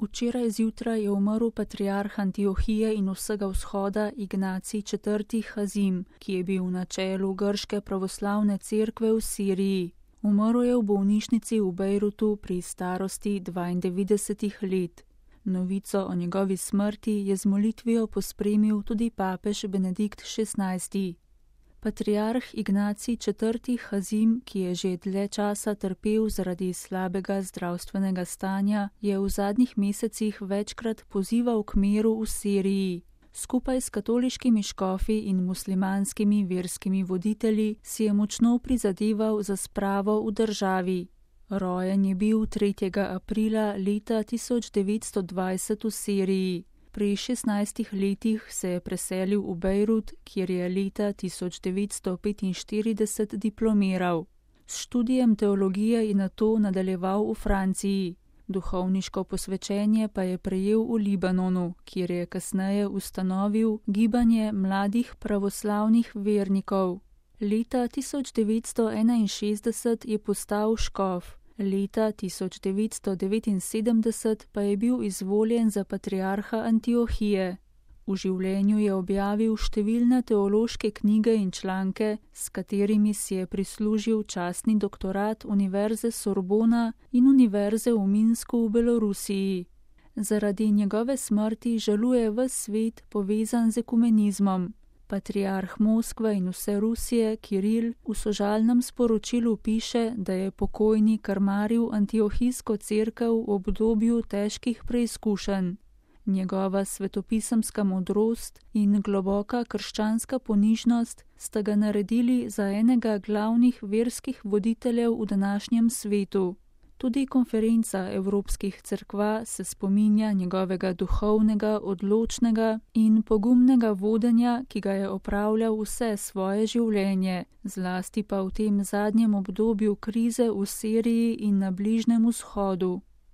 Včeraj zjutraj je umrl patriarh Antiohije in vsega vzhoda Ignacij IV. Hazim, ki je bil na čelu grške pravoslavne cerkve v Siriji. Umrl je v bolnišnici v Bejrutu pri starosti 92 let. Novico o njegovi smrti je z molitvijo pospremil tudi papež Benedikt XVI. Patriarh Ignacij IV. Hazim, ki je že dlje časa trpel zaradi slabega zdravstvenega stanja, je v zadnjih mesecih večkrat pozival k miru v Siriji. Skupaj s katoliškimi škofi in muslimanskimi verskimi voditelji si je močno prizadeval za spravo v državi. Rojen je bil 3. aprila leta 1920 v Siriji. Pri 16 letih se je preselil v Bejrut, kjer je leta 1945 diplomiral. S študijem teologije je nato nadaljeval v Franciji. Duhovniško posvečenje pa je prejel v Libanonu, kjer je kasneje ustanovil gibanje mladih pravoslavnih vernikov. Leta 1961 je postal škof. Leta 1979 pa je bil izvoljen za patriarha Antiohije. V življenju je objavil številne teološke knjige in članke, s katerimi si je prislužil častni doktorat Univerze Sorbona in Univerze v Minsku v Belorusiji. Zaradi njegove smrti žaluje ves svet povezan z ekumenizmom. Patriarh Moskve in vse Rusije, Kiril, v sožalnem sporočilu piše, da je pokojni krmaril antiohijsko cerkev v obdobju težkih preizkušenj. Njegova svetopisemska modrost in globoka krščanska ponižnost sta ga naredili za enega glavnih verskih voditeljev v današnjem svetu. Tudi konferenca evropskih cerkva se spominja njegovega duhovnega, odločnega in pogumnega vodenja, ki ga je opravljal vse svoje življenje, zlasti pa v tem zadnjem obdobju krize v Siriji in na Bližnjem vzhodu.